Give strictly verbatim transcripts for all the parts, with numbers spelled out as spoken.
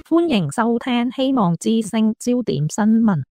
歡迎收聽希望之聲焦點新聞。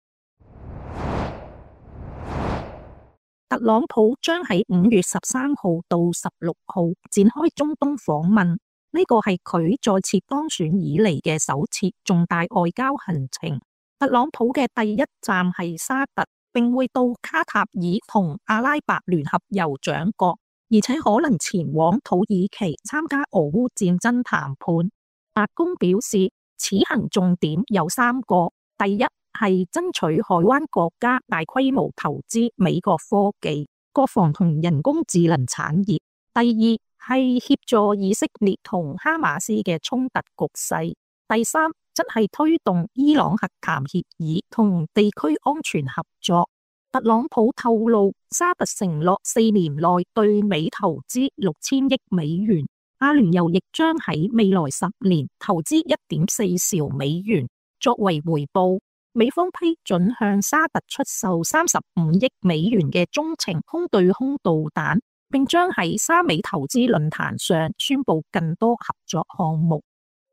特朗普將喺五月十三號到十六號展開中東訪問，呢個係佢再次當選以嚟嘅首次重大外交行程。特朗普嘅第一站係沙特，並會到卡塔爾同阿拉伯聯合酋長國，而且可能前往土耳其參加俄烏戰爭談判。白宮表示，此行重點有三個：第一係爭取海灣國家大規模投資美國科技、國防同人工智能產業；第二係協助以色列同哈馬斯嘅衝突局勢；第三則係推動伊朗核談協議同地區安全合作。特朗普透露，沙特承諾四年內對美投資六千億美元。阿聯酋亦將喺未來十年投資一點四兆美元，作為回報，美方批准向沙特出售三十五億美元嘅中程空對空導彈，並將喺沙美投資論壇上宣布更多合作項目。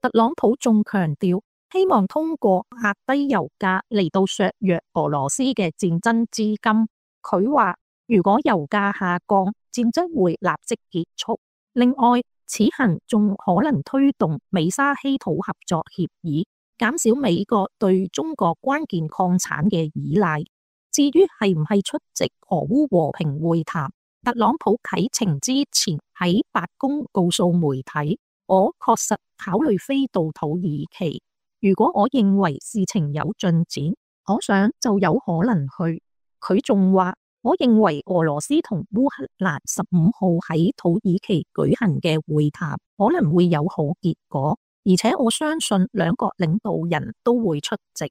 特朗普仲強調，希望通過壓低油價嚟到削弱俄羅斯嘅戰爭資金。佢話，如果油價下降，戰爭會立即結束。另外，此行仲可能推動美沙稀土合作協議，減少美國對中國關鍵礦產嘅依賴。至於係唔係出席俄烏和平會談，特朗普啟程之前喺白宮告訴媒體，我確實考慮飛到土耳其。如果我認為事情有進展，我想就有可能去。佢仲話，我認為俄羅斯同烏克蘭十五號喺土耳其舉行嘅會談可能會有好結果，而且我相信兩國領導人都會出席。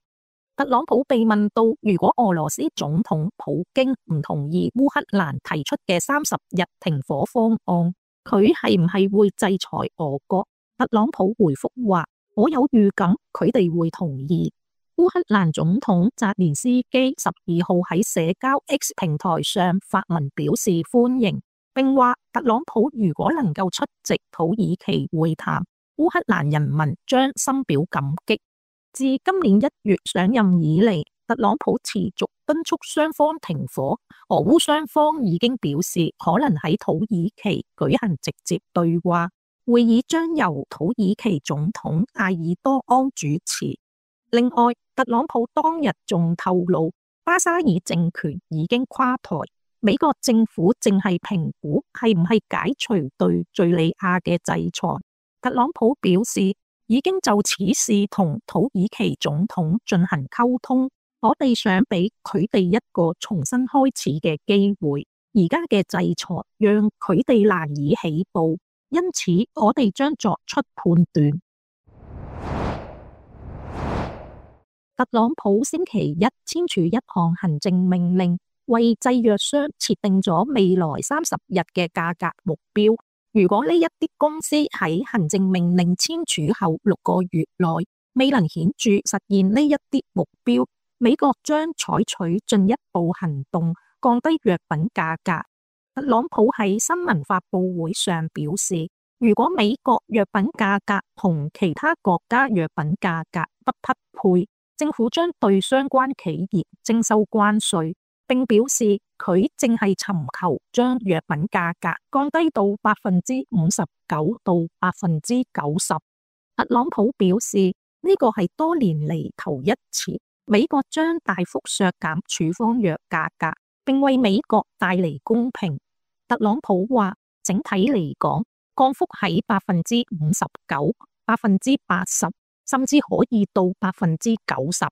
特朗普被問到，如果俄羅斯總統普京唔同意烏克蘭提出嘅三十日停火方案，佢係唔係會制裁俄國？特朗普回覆話，我有預感佢哋會同意。烏克蘭總統澤連斯基十二號喺社交 X 平台上發文表示歡迎，並話特朗普如果能夠出席土耳其會談，烏克蘭人民將深表感激。自今年一月上任以嚟，特朗普持續敦促雙方停火，俄烏雙方已經表示可能喺土耳其舉行直接對話，會議將由土耳其總統艾爾多安主持。另外，特朗普當日仲透露，巴沙爾政權已經垮台，美國政府正係評估係唔係解除對敘利亞嘅制裁。特朗普表示，已經就此事同土耳其總統進行溝通，我哋想俾佢哋一個重新開始嘅機會。而家嘅制裁讓佢哋難以起步，因此我哋將作出判斷。特朗普星期一簽署一項行政命令，為製藥商設定咗未來三十日嘅價格目標。如果呢一啲公司喺行政命令簽署後六個月內未能顯著實現呢一啲目標，美國將採取進一步行動，降低藥品價格。特朗普喺新聞發佈會上表示，如果美國藥品價格同其他國家藥品價格不匹配，政府將對相關企業徵收關稅，並表示佢正係尋求將藥品價格降低到百分之五十九到百分之九十。特朗普表示，呢個係多年嚟頭一次，美國將大幅削減處方藥價格，並為美國帶嚟公平。特朗普話，整體嚟講，降幅喺百分之五十九、百分之八十。甚至可以到百分之九十。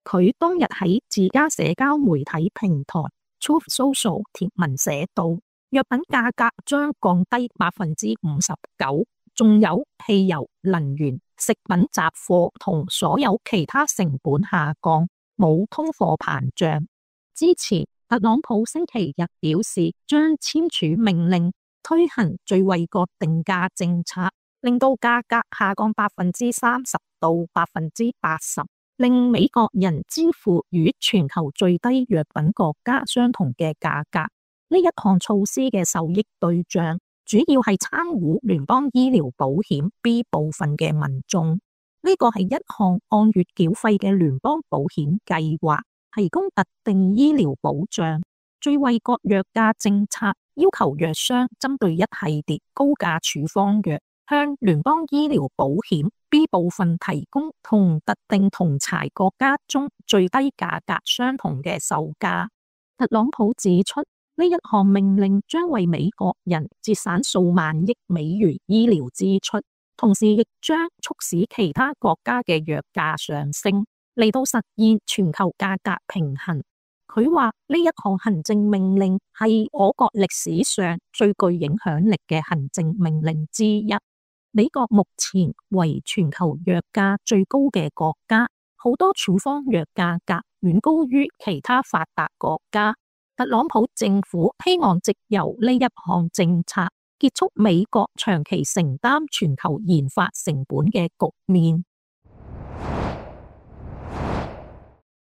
佢當日喺自家社交媒體平台 Truth Social 貼文寫道，藥品價格將降低百分之五十九，仲有汽油、能源、食品雜貨同所有其他成本下降，冇通貨膨脹。之前特朗普星期日表示，將簽署命令推行最惠國定價政策，令到價格下降百分之三十到百分之八十，令美國人支付與全球最低藥品國家相同嘅價格。呢一項措施嘅受益對象主要係參與聯邦醫療保險 B 部分嘅民眾。呢個係一項按月繳費嘅聯邦保險計劃，提供特定醫療保障。最惠國藥價政策要求藥商針對一系列高價處方藥，向聯邦醫療保險 B 部分提供同特定同儕國家中最低價格相同嘅售價。特朗普指出，呢一項命令將為美國人節省數萬億美元醫療支出，同時亦將促使其他國家嘅藥價上升，嚟到實現全球價格平衡。佢話呢一項行政命令係我國歷史上最具影響力嘅行政命令之一。美國目前為全球藥價最高嘅國家，好多處方藥價格遠高於其他發達國家。特朗普政府希望藉由呢一項政策結束美國長期承擔全球研發成本嘅局面。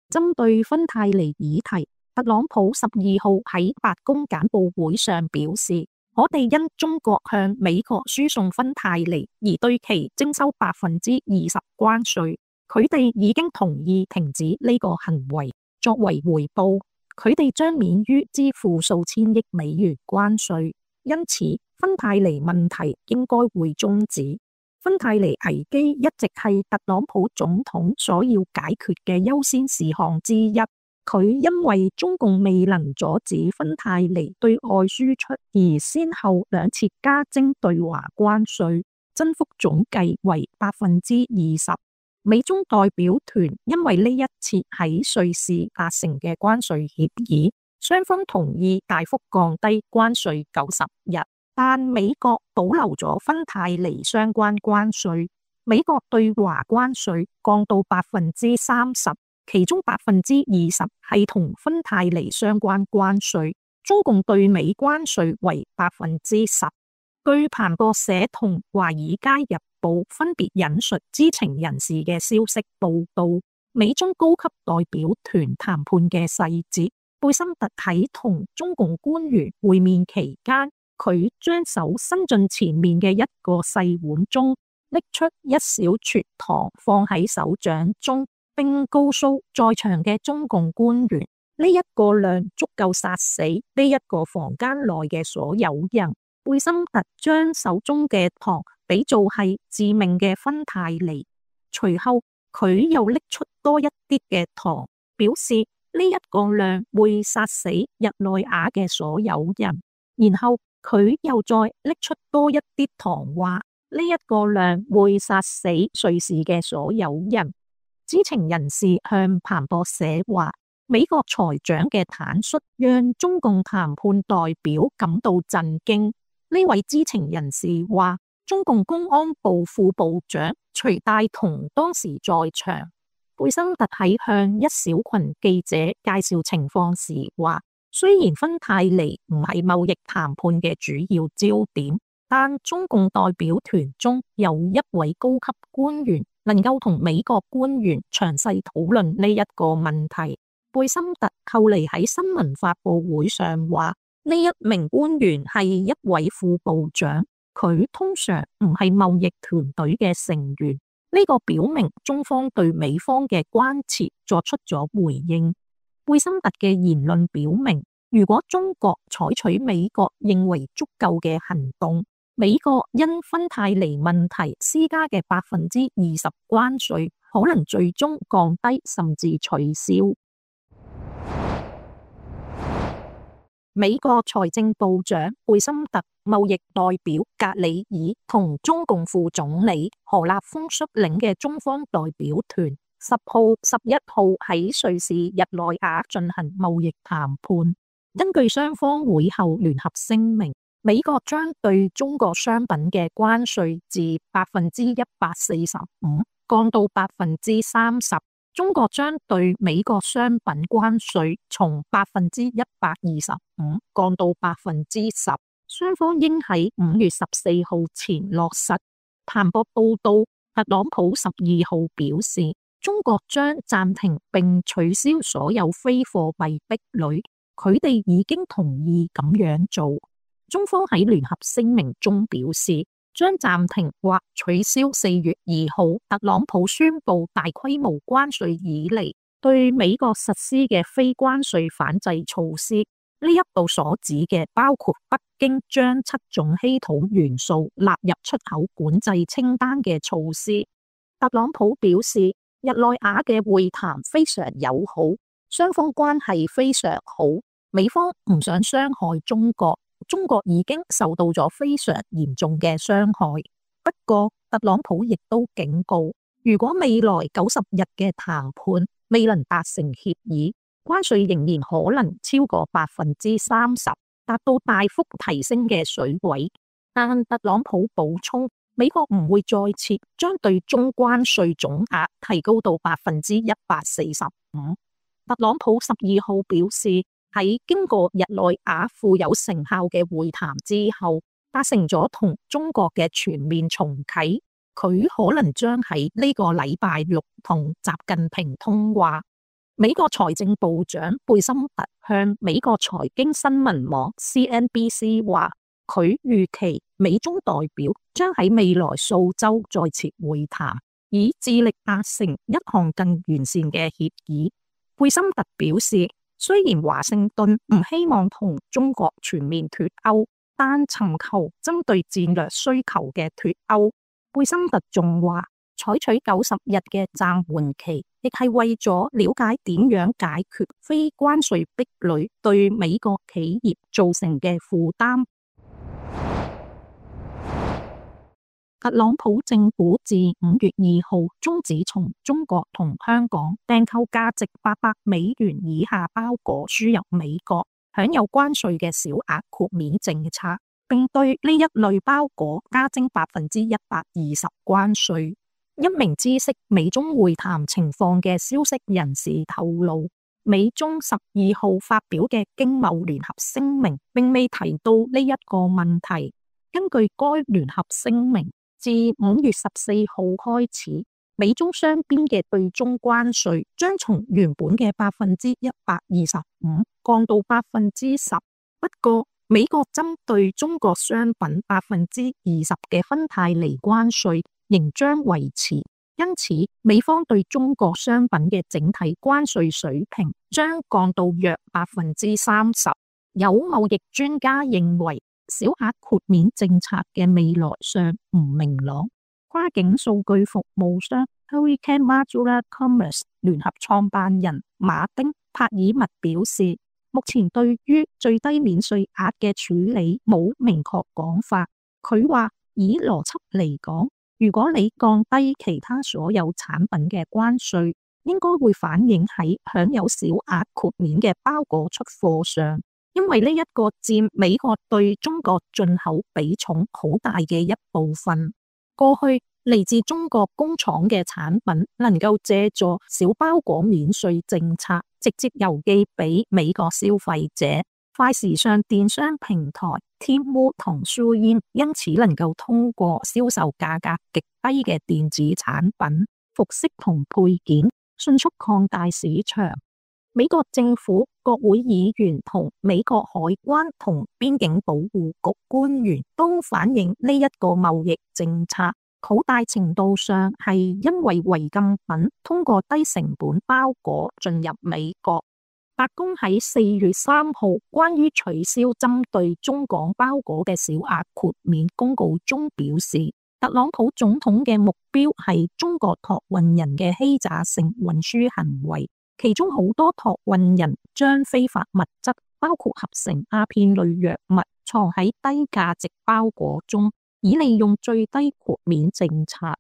針對芬太尼議題，特朗普十二號喺白宮簡報會上表示，我哋因中國向美國輸送芬太尼而對其徵收百分之二十關稅，佢哋已經同意停止呢個行為。作為回報，佢哋將免於支付數千億美元關稅，因此芬太尼問題應該會終止。芬太尼危機一直係特朗普總統所要解決嘅優先事項之一。佢因為中共未能阻止芬太尼對外輸出，而先後兩次加徵對華關稅，增幅總計為百分之二十。美中代表團因為呢一次喺瑞士達成嘅關稅協議，雙方同意大幅降低關稅九十日，但美國保留咗芬太尼相關關稅。美國對華關稅降到百分之三十。其中百分之二十係同芬太尼相關關稅，中共對美關稅為百分之十。據彭博社同華爾街日報分別引述知情人士嘅消息報道，美中高級代表團談判嘅細節。貝森特喺同中共官員會面期間，佢將手伸進前面嘅一個細碗中，拎出一小撮糖放喺手掌中，並告訴在場嘅中共官員，呢一個量足夠殺死呢一個房間內嘅所有人。貝森特將手中嘅糖比做係致命嘅芬太尼，隨後佢又拎出多一啲嘅糖，表示呢一個量會殺死日內瓦嘅所有人。然後佢又再拎出多一啲糖，話呢一個量會殺死瑞士嘅所有人。知情人士向彭博社話，美國財長嘅坦率讓中共談判代表感到震驚。呢位知情人士話，中共公安部副部長徐帶同當時在場。貝森特喺向一小群記者介紹情況時話，雖然芬太尼唔係貿易談判嘅主要焦點，但中共代表團中有一位高級官員能夠同美國官員詳細討論呢一個問題。貝森特後嚟喺新聞發佈會上話，呢一名官員係一位副部長，佢通常唔係貿易團隊嘅成員。呢個表明中方對美方嘅關切作出咗回應。貝森特嘅言論表明，如果中國採取美國認為足夠嘅行動，美國因芬太尼問題施加嘅百分之二十關稅可能最終降低甚至取消。美國財政部長貝森特、貿易代表格里爾同中共副總理何立峰率領嘅中方代表團，十號、十一號喺瑞士日內瓦進行貿易談判。根據雙方會後聯合聲明，美國將對中國商品嘅關稅自百分之一百四十五降到百分之三十。中國將對美國商品關稅從百分之一百二十五降到百分之十，雙方應喺五月十四號前落實。彭博報道，特朗普十二號表示，中國將暫停並取消所有非貨幣壁壘，佢哋已經同意咁樣做。中方喺聯合聲明中表示，將暫停或取消四月二號特朗普宣布大規模關稅以嚟對美國實施嘅非關稅反制措施。呢一度所指嘅包括北京將七種稀土元素納入出口管制清單嘅措施。特朗普表示，日內瓦嘅會談非常友好，雙方關係非常好，美方唔想傷害中國，中國已經受到咗非常嚴重嘅傷害。不過，特朗普亦都警告，如果未來九十日嘅談判未能達成協議，關稅仍然可能超過百分之三十，達到大幅提升嘅水位。但特朗普補充，美國唔會再次將對中關稅總額提高到百分之一百四十五。特朗普十二號表示，喺經過日內瓦富有成效嘅會談之後，達成咗同中國嘅全面重啟。佢可能將喺呢個禮拜六同習近平通話。美國財政部長貝森特向美國財經新聞網 C N B C 話，佢預期美中代表將喺未來數週再次會談，以致力達成一項更完善嘅協議。貝森特表示，雖然華盛頓唔希望同中國全面脫鈎，但尋求針對戰略需求嘅脫鈎。貝森特仲話，採取九十日嘅暫緩期，亦係為咗了解點樣解決非關稅壁壘對美國企業造成嘅負擔。特朗普政府自五月二號終止從中國同香港訂購價值八百美元以下包裹輸入美國，享有關稅嘅小額豁免政策，並對呢一類包裹加徵百分之一百二十關稅。一名知悉美中會談情況嘅消息人士透露，美中十二號發表嘅經貿聯合聲明並未提到呢一個問題。根據該聯合聲明，自五月十四號開始，美中雙邊嘅對中關稅將從原本嘅百分之一百二十五降到百分之十。不過，美國針對中國商品百分之二十嘅芬太尼關稅仍將維持，因此美方對中國商品嘅整體關稅水平將降到約百分之三十。有貿易專家認為，小額豁免政策嘅未來尚唔明朗。跨境數據服務商 Hurricane Modular Commerce 聯合創辦人馬丁·帕爾默表示，目前對於最低免稅額嘅處理冇明確講法。佢話，以邏輯嚟講，如果你降低其他所有產品嘅關稅，應該會反映喺享有小額豁免嘅包裹出貨上，因為呢一個佔美國對中國進口比重好大嘅一部分。過去嚟自中國工廠嘅產品能夠借助小包裹免稅政策直接郵寄俾美國消費者。快時尚電商平台 Temu 同 Shein 因此能夠通過銷售價格極低嘅電子產品、服飾同配件，迅速擴大市場。美國政府、國會議員同美國海關同邊境保護局官員都反映呢一個貿易政策好大程度上係因為違禁品通過低成本包裹進入美國。白宮喺四月三號關於取消針對中港包裹嘅小額豁免公告中表示，特朗普總統嘅目標係中國託運人嘅欺詐性運輸行為，其中好多託運人將非法物質，包括合成鴉片類藥物，藏喺低價值包裹中，以利用最低豁免政策。